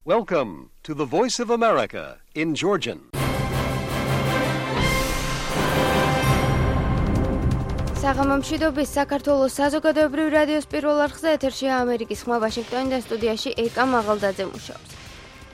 Welcome to the Voice of America in Georgian. საღამომშვიდობის საქართველოს საზოგადოებრივ რადიოს პირველ არხზე ეთერშია ამერიკის ხმა ვაშინგტონი და სტუდიაში ეკა მაღალდაძე მუშაობს.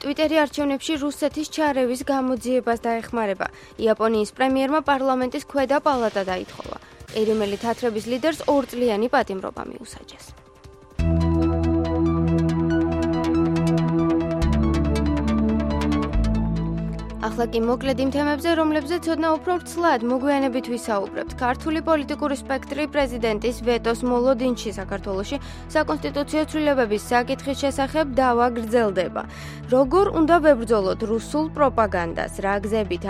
ტვიტერი არჩევნებში რუსეთის ჩარევის გამოძიებას დაეხმარება. იაპონიის პრემიერმა პარლამენტის ქვედა პალატა დაითხოვა. ყირიმელი თათრების ლიდერს 2 წლიანი პატიმრობა მიუსაჯეს. ახლა კი მოკლედ იმ თემებზე, რომლებზეც ცოდნა უფრო ვრცლად მოგვიანებით ვისაუბრებთ. ქართული პოლიტიკური სპექტრი პრეზიდენტის ვეტოს მოლოდინში საქართველოში საკონსტიტუციო ცვლილებების საკითხის შესახებ დავა გრძელდება. როგორ უნდა ვებრძოლოთ რუსულ პროპაგანდას? რა გზებით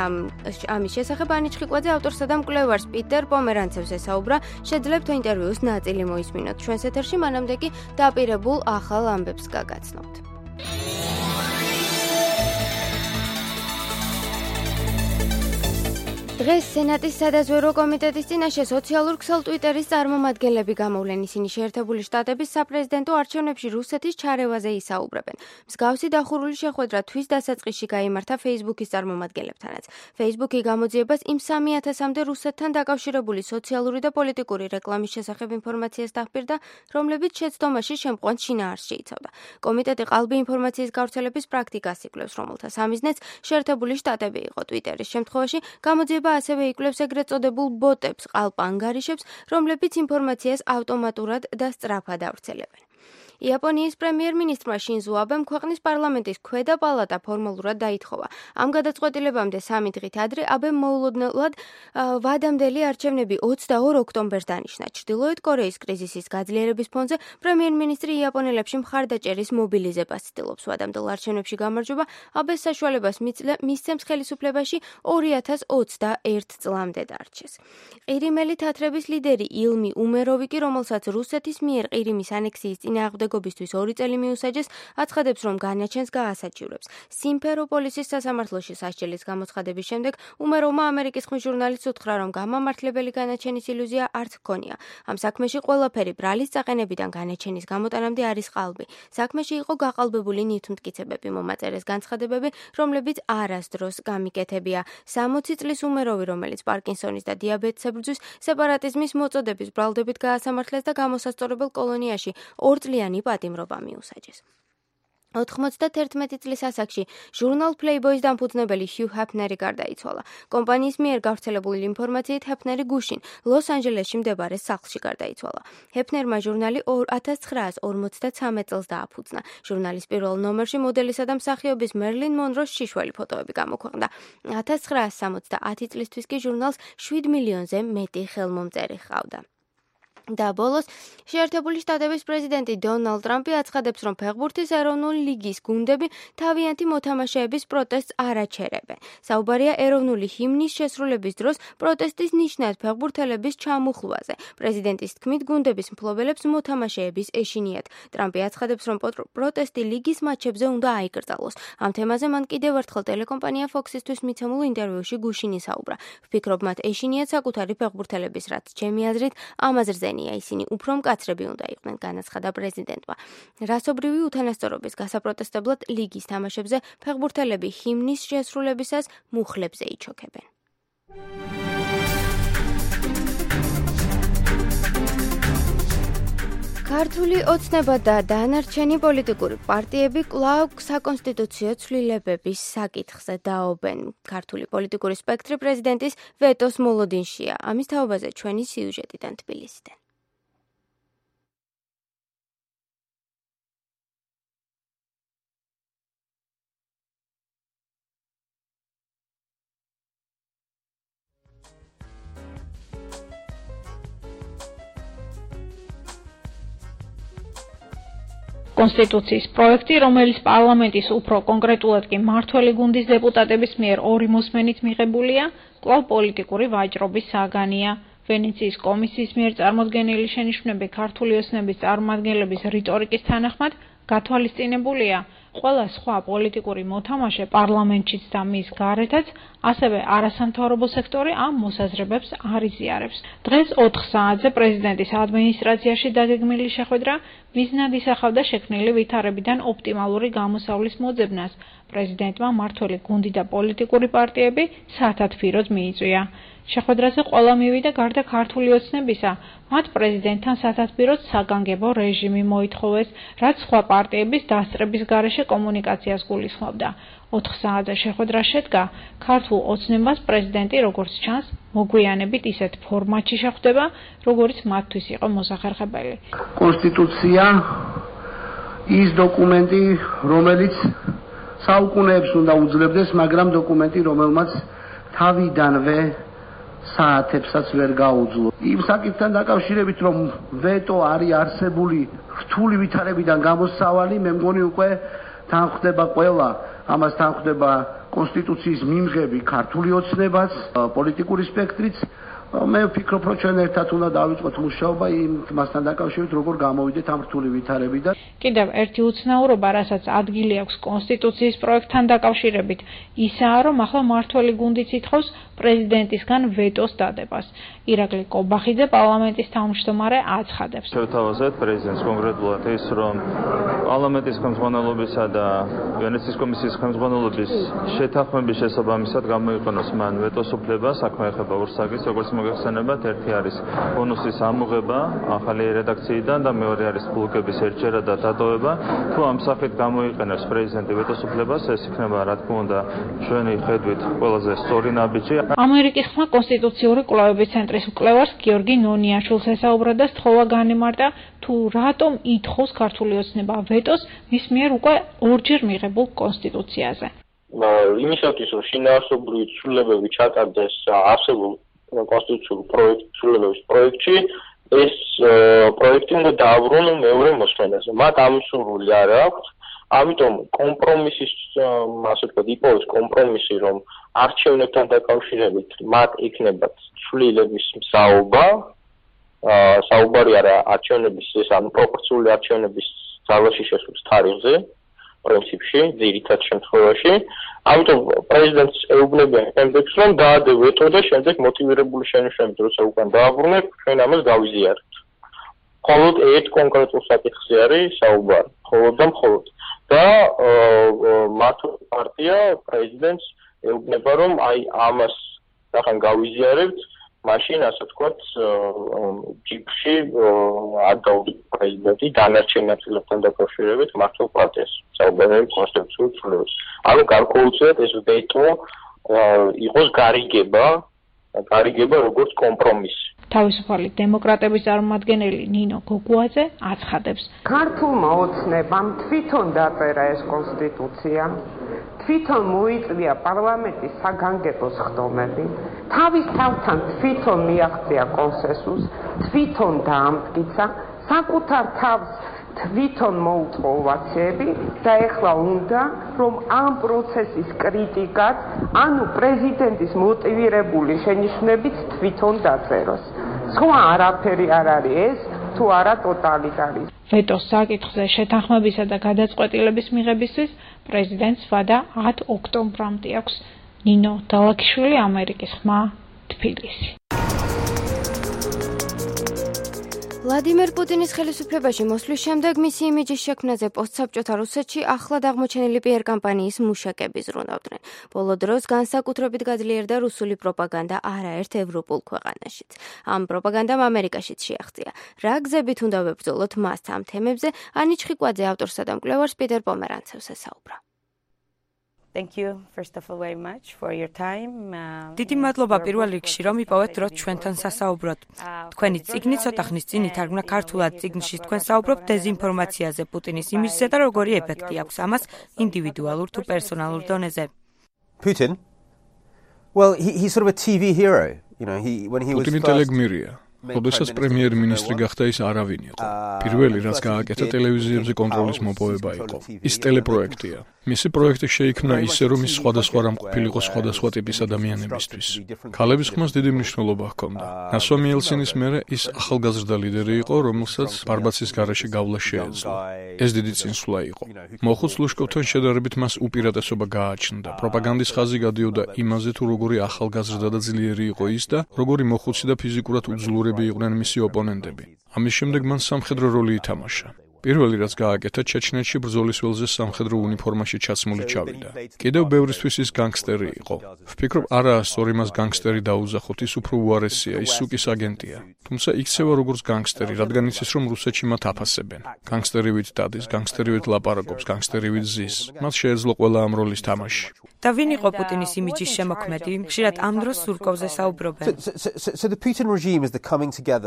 ამის შესახებ ანიჭ ხიკვაძე ავტორსა და მკვლევარს პიტერ პომერანცევს ესაუბრა. შეძლებთ ინტერვიუს ნაწილი მოისმინოთ ჩვენს ეთერში, მანამდე კი დაპირებულ ახალ ამბებს გაგაცნობთ. დღეს სენატის სადაზვერვო კომიტეტის წინაშე სოციალურ ქსელ ტვიტერის წარმომადგენლები გამოვლენ. ისინი შეერთებული შტატების საპრეზიდენტო არჩევნებში რუსეთის ჩარევაზე ისაუბრებენ. მსგავსი დახურული შეხვედრა თვის დასაწყისში გაიმართა Facebook-ის წარმომადგენლებთანაც. Facebook-ი გამოძიებას იმ 3000-მდე რუსეთთან დაკავშირებული სოციალური და პოლიტიკური რეკლამის შესახებ ინფორმაციას დახპირდა, რომლებიც შეცდომაში შემყვან შინაარსს შეიცავდა. კომიტეტი ყალბი ინფორმაციის გავრცელების პრაქტიკას იკვლევს, რომელთა სამიზნეც შეერთებული შტატები იყო. ტვიტერის შემთხვევაში გამოძიება ასევე იკვლევს ეგრეთ წოდებულ ბოტებს, ყალპ-ანგარიშებს, რომლებიც ინფორმაციას ავტომატურად და სწრაფად ავრცელებენ. იაპონიის პრემიერ-მინისტრმა შინზო აბემ ქვეყნის პარლამენტის ქვედა პალატა ფორმალურად დაითხოვა. ამ გადაწყვეტილებამდე 3 დღით ადრე აბემ მოულოდნელად ვადამდელი არჩევნები 22 ოქტომბერს დანიშნა. ჩრდილოეთ კორეის კრიზისის გაძლიერების ფონზე პრემიერ-მინისტრი იაპონელებში მხარდაჭერის მობილიზებას ცდილობს. ვადამდელ არჩევნებში გამარჯვება აბეს საშუალებას მისცემს ხელისუფლებაში 2021 წლამდე დარჩეს. ყირიმელი თათრების ლიდერი ილმი უმეროვი კი, რომელსაც რუსეთის მიერ ყირიმის ანექსიის წინააღმდეგ გობისთვის 2 წელი მიუსაჯეს, აცხადებს, რომ განაჩენს გაასაჩივრებს. სიმფეროპოლისის სასამართლოში სასჯელის გამოცხადების შემდეგ უმეროვმა ამერიკის ხმის ჟურნალისტს უთხრა, რომ გამამართლებელი განაჩენის ილუზია არც ჰქონია. ამ საქმეში ყველაფერი ბრალის წაყენებიდან განაჩენის გამოტანამდე არის ყალბი. საქმეში იყო გაყალბებული ნივთმტკიცებები, მომაწერეს განცხადებები, რომლებიც არასდროს გამიკეთებია. 60 წლის უმეროვი, რომელიც პარკინსონის და დიაბეტს ებრძვის, სეპარატიზმის მოწოდების ბრალდებით გაასამართლეს და გამოსასწორებელ კოლონიაში 2 წლიანი პატიმრობა მიუსაჯეს. 91 წლის ასაკში ჟურნალ Playboy-ის დამფუძნებელი ჰიუ ჰეფნერი გარდაიცვალა. კომპანიის მიერ გავრცელებული ინფორმაციით ჰეფნერი გუშინ ლოს-ანჯელესში მდებარე სახლში გარდაიცვალა. ჰეფნერმა ჟურნალი 1953 წელს დააფუძნა. ჟურნალის პირველ ნომერში მოდელისა და მსახიობის მერლინ მონროს შიშველი ფოტოები გამოქვეყნდა. 1970 წლისთვის კი ჟურნალს 7 მილიონზე მეტი ხელმომწერი ჰყავდა. და ბოლოს შეერთებული შტატების პრეზიდენტი დონალდ ტრამპი აცხადებს, რომ ფეხბურთის ეროვნული ლიგის გუნდები თავიანთი მოთამაშეების პროტესტს არ აჩერებენ. საუბარია ეროვნული ჰიმნის შესრულების დროს პროტესტის ნიშნად ფეხბურთელების ჩამოხლვაზე. პრეზიდენტის თქმით, გუნდების მფლობელებს მოთამაშეების ეშინიათ. ტრამპი აცხადებს, რომ პროტესტი ლიგის მატჩებზე უნდა აიკრძალოს. ამ თემაზე მან კიდევ ერთხელ ტელეკომპანია Fox-ისთვის მიცემულ ინტერვიუში გუშინ ისაუბრა. ვფიქრობ, მათ ეშინიათ საკუთარი ფეხბურთელების, რაც ჩემი აზრით ამაზრზე ისინი უფრო მკაცრები უნდა იყვნენ, განაცხადა პრეზიდენტმა. რასობრივი უთანასწორობის გასაპროტესტებლად ლიგის თამაშებზე ფეხბურთელები ჰიმნის შესრულებისას მუხლებზე იჩოქებენ. ქართული ოცნება და დანარჩენი პოლიტიკური პარტიები კვლავ საკონსტიტუციო ცვლილებების საკითხზე დაობენ. ქართული პოლიტიკური სპექტრი პრეზიდენტის ვეტოს მოლოდინშია. ამის თაობაზე ჩვენი სიუჟეტიდან თბილისიდან. კონსტიტუციის პროექტი, რომელიც პარლამენტის უფრო კონკრეტულად კი მმართველი გუნდის დეპუტატების მიერ 2 მოსმენით მიღებულია, კვლავ პოლიტიკური ვაჭრობის საგანია. ვენეციის კომისიის მიერ წარმოდგენილი შენიშვნები ქართული ოცნების წარმომადგენლების რიტორიკის თანახმად გათვალისწინებულია, ყველა სხვა პოლიტიკური მოთამაშე პარლამენტშიც და მის გარეთაც, ასევე არასამთავრობო სექტორი ამ მოსაზრებებს არ იზიარებს. დღეს 4 საათზე პრეზიდენტის ადმინისტრაციაში დაგეგმილი შეხვედრა მიზნად ისახავდა შექმნილი ვითარებიდან ოპტიმალური გამოსავლის მოძებნას. პრეზიდენტმა მმართველი გუნდი და პოლიტიკური პარტიები სათათბიროდ მიიწვია. შეხვედრაზე ყველა მივიდა გარდა ქართული ოცნებისა, მათ პრეზიდენტთან სათათბიროდ საგანგებო რეჟიმი მოითხოვეს, რაც სხვა პარტიების დასწრების გარეშე კომუნიკაციას გულისხმობდა. 4 საათზე შეხვედრა შედგა, ქართულ ოცნებას პრეზიდენტი, როგორც ჩანს, მოგვიანებით ისეთ ფორმატში შეხვდება, როგორც მათთვის იყო მოსახერხებელი. კონსტიტუცია ის დოკუმენტი, რომელიც საუკუნეებს უნდა უძლებდეს, მაგრამ დოკუმენტი, რომელმაც თავიდანვე საათებსაც ვერ გაუძლო. იმ საკითხთან დაკავშირებით, რომ ვეტო არის არსებული რთული ვითარებიდან გამოსავალი, მე მგონი უკვე თან ხდება ყველა, ამას თან ხდება კონსტიტუციის მიმღები ქართული ოცნებაც, პოლიტიკური სპექტრიც. მე ვფიქრობ, რომ ჩვენ ერთად უნდა დავიწყოთ მუშაობა იმასთან დაკავშირებით, როგორ გამოვიდეთ ამ რთული ვითარებიდან. კიდევ ერთი უცნაურობა, რასაც ადგილი აქვს კონსტიტუციის პროექტთან დაკავშირებით, ისაა, რომ ახლა მმართველი გუნდიც ითხოვს პრეზიდენტისგან ვეტოს დადებას. ირაკლი კობახიძე, პარლამენტის თავმჯდომარე, აცხადებს. შევთავაზეთ პრეზიდენტს კონკრეტულად ის, რომ პარლამენტის ხელმძღვანელობისა და ვენეციის კომისიის ხელმძღვანელობის შეთანხმების შესაბამისად გამოიყენოს მან ვეტოს უფლება, საქმე ეხება ურსაგის, როგორც მოგეხსენებათ, ერთი არის ბონუსის ამოღება ახალი რედაქციიდან და მეორე არის ბლოკების ერთჯერადი დატოვება. თუ ამ სახით გამოიყენებს პრეზიდენტი ვეტოს უფლებას, ეს იქნება, რა თქმა უნდა, ჩვენი ხედვით ყველაზე სწორი ნაბიჯი. ამერიკის ხმა კონსტიტუციური კვლევების ცენტრის მკვლევარს გიორგი ნონიაშვილს ესაუბრა და სთხოვა განემარტა, თუ რატომ ითხოვს ქართული ოცნება ვეტოს მის მიერ უკვე 2-ჯერ მიღებულ კონსტიტუციაზე. იმისათვის, რომ შინაარსობრივი ცვლილებები ჩატარდეს არსებულ კონსტიტუციურ ცვლილებების პროექტში, ეს პროექტი უნდა დააბრუნოს მეორე მოსმენაზე. მათ ამისურველი არ აქვს, ამიტომ კომპრომისის, ასე ვთქვათ, იპოვეს კომპრომისი, რომ არჩევნებთან დაკავშირებით მათ იქნებათ ცვლილების მსაუბა, საუბარი არა არჩევნების, ეს ანუ პროპორციული არჩევნების ძალაში შესვლის თარიღზე, პრინციპში, ძირითად შემთხვევაში. ამიტომ პრეზიდენტს ეუბნებიან შემდეგს, რომ დაადე ვეტო და შემდეგ მოტივირებული შენიშვნებით, როცა უკან დააბრუნებ, ჩვენ ამას გავიზიარებთ. მხოლოდ ერთ კონკრეტულ საკითხზე არის საუბარი, მხოლოდ და მხოლოდ. და მმართველი პარტია პრეზიდენტს ეუბნება, რომ აი ამას ახლა გავიზიარებთ, მაშინ ასე ვთქვათ, ჯიპში არ დაუდგა პრეზიდენტი დანარჩენ ნაწილებთან დაკავშირებით მმართველ პარტიას. საუბარი კონსტიტუციური ცვლილებების. ანუ გარკვეულწილად ეს ვეტო იყოს გარიგება როგორც კომპრომისი. თავისუფალი დემოკრატების წარმომადგენელი ნინო გოგუაძე აცხადებს. ქართულმა ოცნებამ თვითონ დაწერა ეს კონსტიტუცია, თვითონ მოიწვია პარლამენტის საგანგებო სხდომები, თავის თავთან თვითონ მიაღწია კონსენსუსს, თვითონ დაამტკიცა, საკუთარ თავს თვითონ მოუწყო ოვაციები და ეხლა უნდა, რომ ამ პროცესის კრიტიკაც, ანუ პრეზიდენტის მოტივირებული შენიშვნებიც თვითონ დაწეროს. სხვა არაფერი არ არის ეს, თუ არა ტოტალიტარიზმი. ვეტოს საკითხზე შეთანხმებისა და გადაწყვეტილების მიღებისთვის პრეზიდენტს ვადა 10 ოქტომბრამდე აქვს. ნინო დალაქიშვილი, ამერიკის ხმა, თბილისი. ვლადიმერ პუტინის ხელისუფლებაში მოსვლის შემდეგ მისი იმიჯის შექმნაზე პოსტსაბჭოთა რუსეთში ახლად აღმოჩენილი პიარ კამპანიის მუშაკები ზრუნავდნენ. ბოლო დროს განსაკუთრებით გაძლიერდა რუსული პროპაგანდა არაერთ ევროპულ ქვეყანაშიც. ამ პროპაგანდამ ამერიკაშიც შეაღწია. რა გზებით უნდა ვებრძოლოთ მას ამ თემებზე, ანი ჩხიკვაძე ავტორსა და მკვლევარს პიტერ პომერანცევს ესაუბრა. Thank you first of all very much for your time. დიდი მადლობა პირველ რიგში, რომ იპოვეთ დრო ჩვენთან სასაუბროდ. თქვენი წიგნი ცოტა ხნის წინ ითარგმნა ქართულად. წიგნში თქვენ საუბრობთ დეზინფორმაციაზე, პუტინის იმიჯზე და როგორი ეფექტი აქვს ამას ინდივიდუალურ თუ პერსონალურ დონეზე. Putin? Well, he's sort of a TV hero, you know, when he was Putin ტელეგმირია. როდესაც პრემიერ-მინისტრი გახდა, ის არავინ იყო. პირველი, რაც გააკეთა ტელევიზიებზე კონტროლის მოპოვება იყო. ის ტელეპროექტია. მისი პროექტი შეიქმნა ისე, რომ ის სხვადასხვა რამ ყოფილიყო სხვადასხვა ტიპის ადამიანებისთვის. ქალების ხმას დიდი მნიშვნელობა ჰქონდა. ნასვამი ელცინის მერე ის ახალგაზრდა ლიდერი იყო, რომელსაც ბარბაცის გარეშე გავლა შეეძლო. ეს დიდი წინსვლა იყო. მოხუც ლუშკოვთან შედარებით მას უპირატესობა გააჩნდა. პროპაგანდის ხაზი გადიოდა იმაზე, თუ როგორი ახალგაზრდა და ძლიერი იყო ის და როგორი მოხუცი და ფიზიკურად უძლურები იყვნენ მისი ოპონენტები. ამის შემდეგ მან სამხედრო როლი ითამაშა. პირველი რაც გააკეთა ჩეჩნეთში ბრძოლის ველზე სამხედრო უნიფორმაში ჩაცმული ჩავიდა. კიდევ ბევრისთვის ის განგსტერი იყო. ვფიქრობ, არაა სწორი მას განგსტერი დაუზახოთ, ის უფრო უარესია, ის სუკის აგენტია. თუმცა იქცევა როგორც განგსტერი, რადგან იცის რომ რუსეთში მათ აფასებენ. განგსტერივით დადის, განგსტერივით ლაპარაკობს, განგსტერივით ზის. მას შეეძლო ყველა ამ როლის თამაში. და ვინ იყო პუტინის იმიჯის შემოქმედი? ხშირად ამ დროს სურკოვზე საუბრობენ.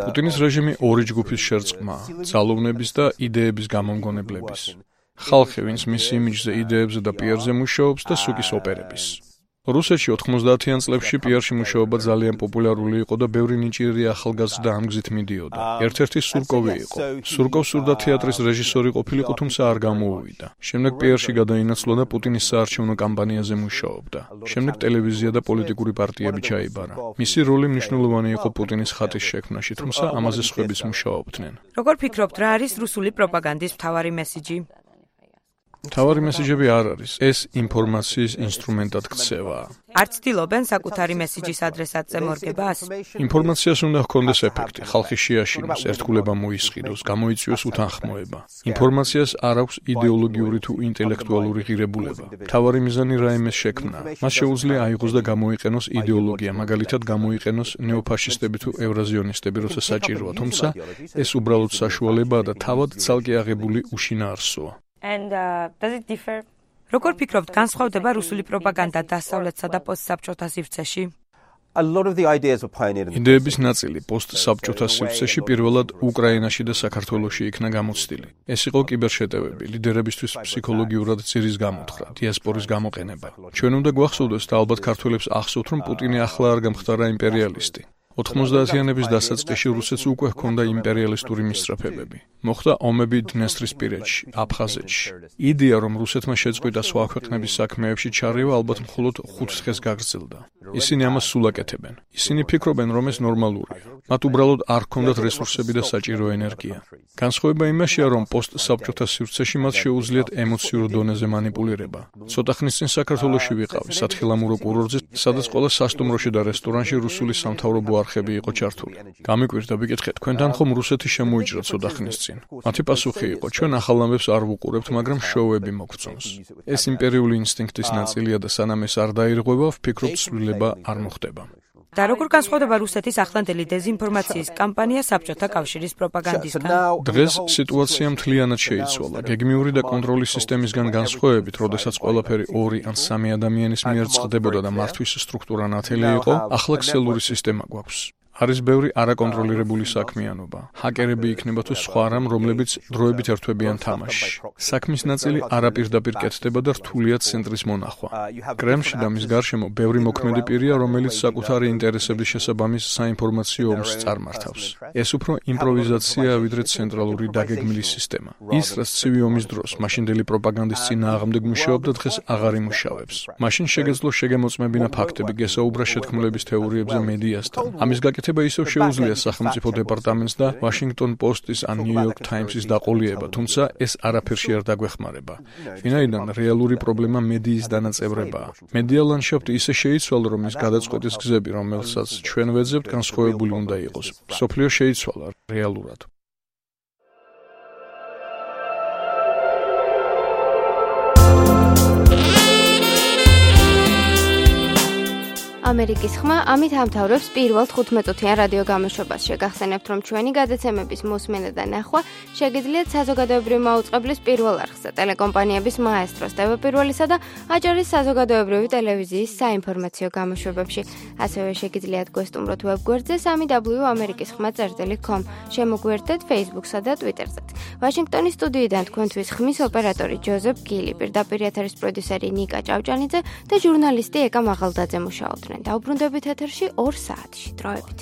პუტინის რეჟიმი ორი ჯგუფის შერწყმაა: ძალოვნების და იდეების გამომგონებლების. ხალხი, ვინც მის იმიჯზე, იდეებზე და პიარზე მუშაობს და სუკის ოპერების. რუსეთში 90-იან წლებში პიარში მუშაობა ძალიან პოპულარული იყო და ბევრი ნიჭიერი ახალგაზრდა ამ გზით მიდიოდა. ერთ-ერთი სურკოვი იყო. სურკოვს სურდა თეატრის რეჟისორი ყოფილიყო, თუმცა არ გამოუვიდა. შემდეგ პიარში გადაინაცვლა და პუტინის საარჩევნო კამპანიაზე მუშაობდა. შემდეგ ტელევიზია და პოლიტიკური პარტიები ჩაიბარა. მისი როლი მნიშვნელოვანი იყო პუტინის ხატის შექმნაში, თუმცა ამაზე სხვებიც მუშაობდნენ. როგორ ფიქრობთ, რა არის რუსული პროპაგანდის მთავარი მესიჯი? მთავარი მესიჯები არ არის. ეს ინფორმაციის ინსტრუმენტად ქცევა. არ ცდილობენ საკუთარი მესიჯის ადრესატზე მორგებას? ინფორმაციას უნდა ჰქონდეს ეფექტი, ხალხი შეაშინოს, ერთგულება მოისყიდოს, გამოიწვიოს უთანხმოება. ინფორმაციას არ აქვს იდეოლოგიური თუ ინტელექტუალური ღირებულება. მთავარი მიზანი რაიმეს შექმნა. მას შეუძლია აიღოს და გამოიყენოს იდეოლოგია, მაგალითად გამოიყენოს ნეოფაშისტები თუ ევრაზიონისტები, როცა საჭიროა, თუმცა ეს უბრალოდ საშუალებაა და თავად ცალკე აღებული უშინაარსოა. როგორ ფიქრობთ, განსხვავდება რუსული პროპაგანდა დასავლეთსა და პოსტსაბჭოთა სივრცეში? იდეების ნაწილი პოსტსაბჭოთა სივრცეში პირველად უკრაინაში და საქართველოში იქნა გამოცდილი. ეს იყო კიბერშეტევები, ლიდერებისთვის ფსიქოლოგიურად ძირის გამოთხრა, დიასპორის გამოყენება. ჩვენ უნდა გვახსოვდეს და ალბათ ქართველებს ახსოვთ, რომ პუტინი ახლა არ გამხდარა იმპერიალისტი. 90-იანების დასაწყისში რუსეთს უკვე ჰქონდა იმპერიალისტური მისწრაფებები. მოხდა ომები დნესტრისპირეთში, აფხაზეთში. იდეა, რომ რუსეთმა შეწყვიტა სხვა ქვეყნების საქმეებში ჩარევა, ალბათ მხოლოდ 5 დღეს გაგრძელდა. ისინი ამას სულ აკეთებენ. ისინი ფიქრობენ, რომ ეს ნორმალურია. მათ უბრალოდ არ ჰქონდათ რესურსები და საჭირო ენერგია. განსხვავება იმაშია, რომ პოსტსაბჭოთა სივრცეში მათ შეუძლიათ ემოციურ დონეზე მანიპულირება. ცოტა ხნის წინ საქართველოში ვიყავი, სათხილამურო კურორტზე, სადაც ყველა სასტუმროში და რესტორანში რუსული სამთავრობო არხები იყო ჩართული. გამიკვირდა, ვიკითხე, თქვენთან ხომ რუსეთი შემოიჭრა ცოტა ხნის წინ? მათი პასუხი იყო, ჩვენ ახალ ამბებს არ ვუყურებთ, მაგრამ შოუები მოგწონს. ეს იმპერიული ინსტინქტის ნაწილია და სანამ ეს არ დაირღვევა, ვფიქრობ, ცვლილება არ მოხდება. და როგორ განსხვავდება რუსეთის ახლანდელი დეზინფორმაციის კამპანია საბჭოთა კავშირის პროპაგანდისგან? დღეს სიტუაცია მთლიანად შეიცვალა. გეგმიური და კონტროლის სისტემისგან განსხვავებით, როდესაც ყველაფერი 2 ან 3 ადამიანის მიერ წყდებოდა და მართვის სტრუქტურა ნათელი იყო, ახლა ქსელური სისტემა გვაქვს. არის ბევრი არაკონტროლირებული საქმიანობა. ჰაკერები იქნება თუ სხვა რამ, რომლებიც დროებით ერთვებიან თამაშში. საქმის ნაწილი არაპირდაპირ კეთდება და რთულია ცენტრის მონახვა. კრემლში და მის გარშემო ბევრი მოქმედი პირია, რომელიც საკუთარი ინტერესების შესაბამის საინფორმაციო ომს წარმართავს. ეს უფრო იმპროვიზაციაა, ვიდრე ცენტრალური დაგეგმილი სისტემა. ის, რაც ცივი ომის დროს მაშინდელი პროპაგანდის წინააღმდეგ მუშაობდა, დღეს აღარ იმუშავებს. მაშინ შეგეძლო შეგემოწმებინა ფაქტები, გესაუბრა შეთქმულების თეორიებზე მედიასთან. ამის გაკეთება ისევ შეუძლია სახელმწიფო დეპარტამენტს და Washington Post-ის ან New York Times-ის დაყოლიება, თუმცა ეს არაფერში არ დაგვეხმარება. ვინაიდან რეალური პრობლემა მედიის დანაწევრებაა. მედია ლანდშაფტი ისე შეიცვალა, რომ ის გადაწყვეტის გზები, რომელსაც ჩვენ ვეძებთ, განსხვავებული უნდა იყოს. მსოფლიო შეიცვალა რეალურად. ამერიკის ხმა ამით ამთავრებს პირველ 15-წუთიან რადიო გამოშვებას. შეგახსენებთ, რომ ჩვენი გადაცემების მოსმენა და ნახვა შეგიძლიათ საზოგადოებრივი მაუწყებლის პირველ არხზე, ტელეკომპანიების მაესტროს, TV პირველისა და აჭარის საზოგადოებრივი ტელევიზიის საინფორმაციო გამოშვებებში. ასევე შეგიძლიათ გვესტუმროთ ვებგვერდზე www.amerikiskhma.com. შემოგვიერთდეთ Facebook-სა და Twitter-ზეც. ვაშინგტონის სტუდიიდან თქვენთვის ხმის ოპერატორი ჯოზეფ გილი, პირდაპირ ეთერის პროდიუსერი ნიკა ჭავჭანიძე და ჟურნალისტი ეკა მაღალდაძე მუშაობდნენ. დაუბრუნდებით ეთერში 2 საათში. დროებით.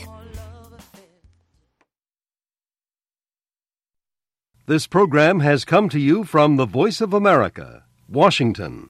This program has come to you from the Voice of America, Washington.